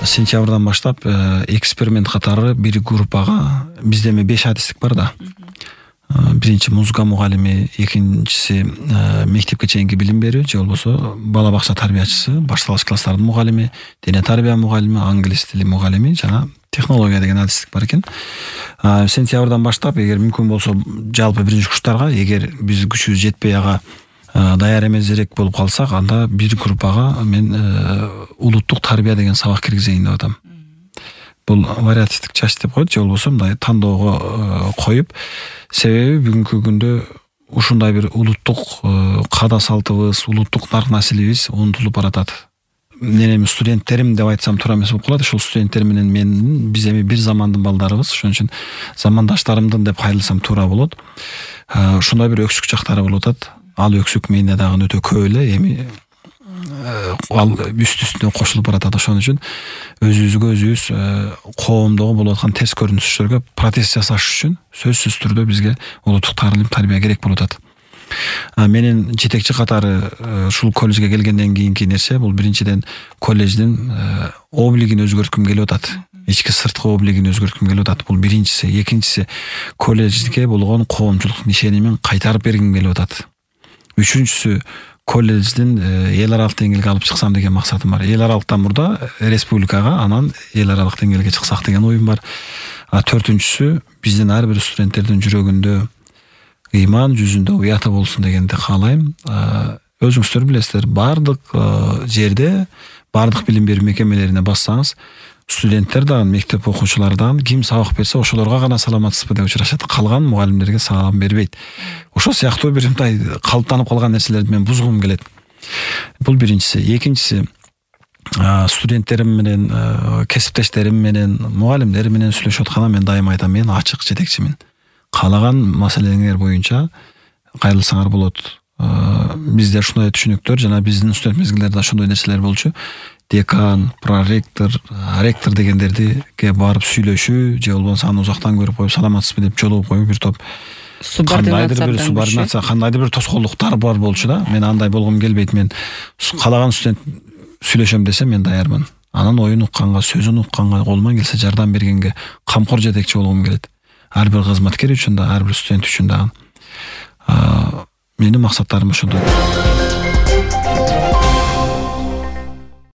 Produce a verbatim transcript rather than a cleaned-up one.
сентябрдан баштап эксперимент катары бир группага бизде эми беш адистик бар да. Биринчи музыка мугалими, экинчиси мектепке чейинки билим берүү же болбосо бала бакча тарбиячысы, башталгыч класстардын мугалими, дене тарбия мугалими, англис тили мугалими жана технология деген адистик бар экен. Сентябрдан баштап эгер мүмкүн болсо жалпы биринчи курстарга эгер биз күчүбүз жетпей ага даяр эмесирээк болуп калсак, анда бир группага мен улуттук тарбия деген сабак киргизейин деп атам. Бул вариативдик часть деп коет, же болбосо мындай тандоого коюп, себеби бүгүнкү күндө ушундай бир улуттук каада салтыбыз, улуттук нарк населибиз унутулуп баратат. Менин студенттерим деп айтсам туура эмес болуп калат. Ушул студенттер менен мен биз эми бир замандын балдарыбыз, ошон үчүн замандаштарымдын деп кайрылсам туура болот. Ушундай бир өксүк жактары болуп атат. Ал өксүк менде дагы өтө көп эле, эми ал үст үстүнө кошулуп баратат. Ошон үчүн өзүбүзгө өзүбүз коомдогу болуп аткан терс көрүнүштөргө протест жасаш үчүн сөзсүз түрдө бизге улуттук таалим тарбия керек болуп атат. Менин жетекчи катары ушул колледжге келгенден кийинки нерсе бул биринчиден колледждин облигин өзгөрткүм келип атат. Ички сырткы облигин өзгөрткүм келип атат. Бул биринчиси. Экинчиси, колледжге болгон коомчулуктун ишенимин кайтарып бергим келип атат. Үчүнчүсү, колледждин эл аралык деңгээлге алып чыксам деген максатым бар. Эл аралыктан мурда республикага, анан эл аралык деңгээлге чыксак деген оюм бар. А төртүнчүсү, биздин ар бир студенттердин жүрөгүндө ыйман, жүзүндө уяты болсун дегенди каалайм. Өзүңүздөр билесиздер, бардык жерде, бардык билим берүү мекемелерине бассаңыз, студенттер дагы, мектеп окуучулардан ким сабак берсе ошолорго гана саламатсызбы деп учурашат. Калган мугалимдерге салам бербейт. Ошол сыяктуу бир мындай калыптанып калган нерселерди мен бузгум келет. Бул биринчиси. Экинчиси, студенттерим менен, кесиптештерим менен, мугалимдер менен сүйлөшүп атканда мен дайыма айтам, мен ачык жетекчимин. Каалаган маселеңер боюнча кайрылсаңар болот. Бизде ушундай түшүнүктөр, жана биздин студент мезгилдерде ошондой нерселер болчу. Декан, проректор, ректор дегендердиге барып сүйлөшүү, же болбосо аны узактан көрүп коюп саламатсызбы деп жолугуп коюп бир топ кандайдыр бир субординация, кандайдыр бир тоскоолдуктар бар болчу да. Мен андай болгум келбейт. Мен каалаган студент сүйлөшөм десе мен даярмын. Анын оюн укканга, сөзүн укканга, колуман келсе жардам бергенге камкор жетекчи болгум келет. Ар бир кызматкер үчүн да, ар бир студент үчүн дагы. Менин максаттарым ошондой.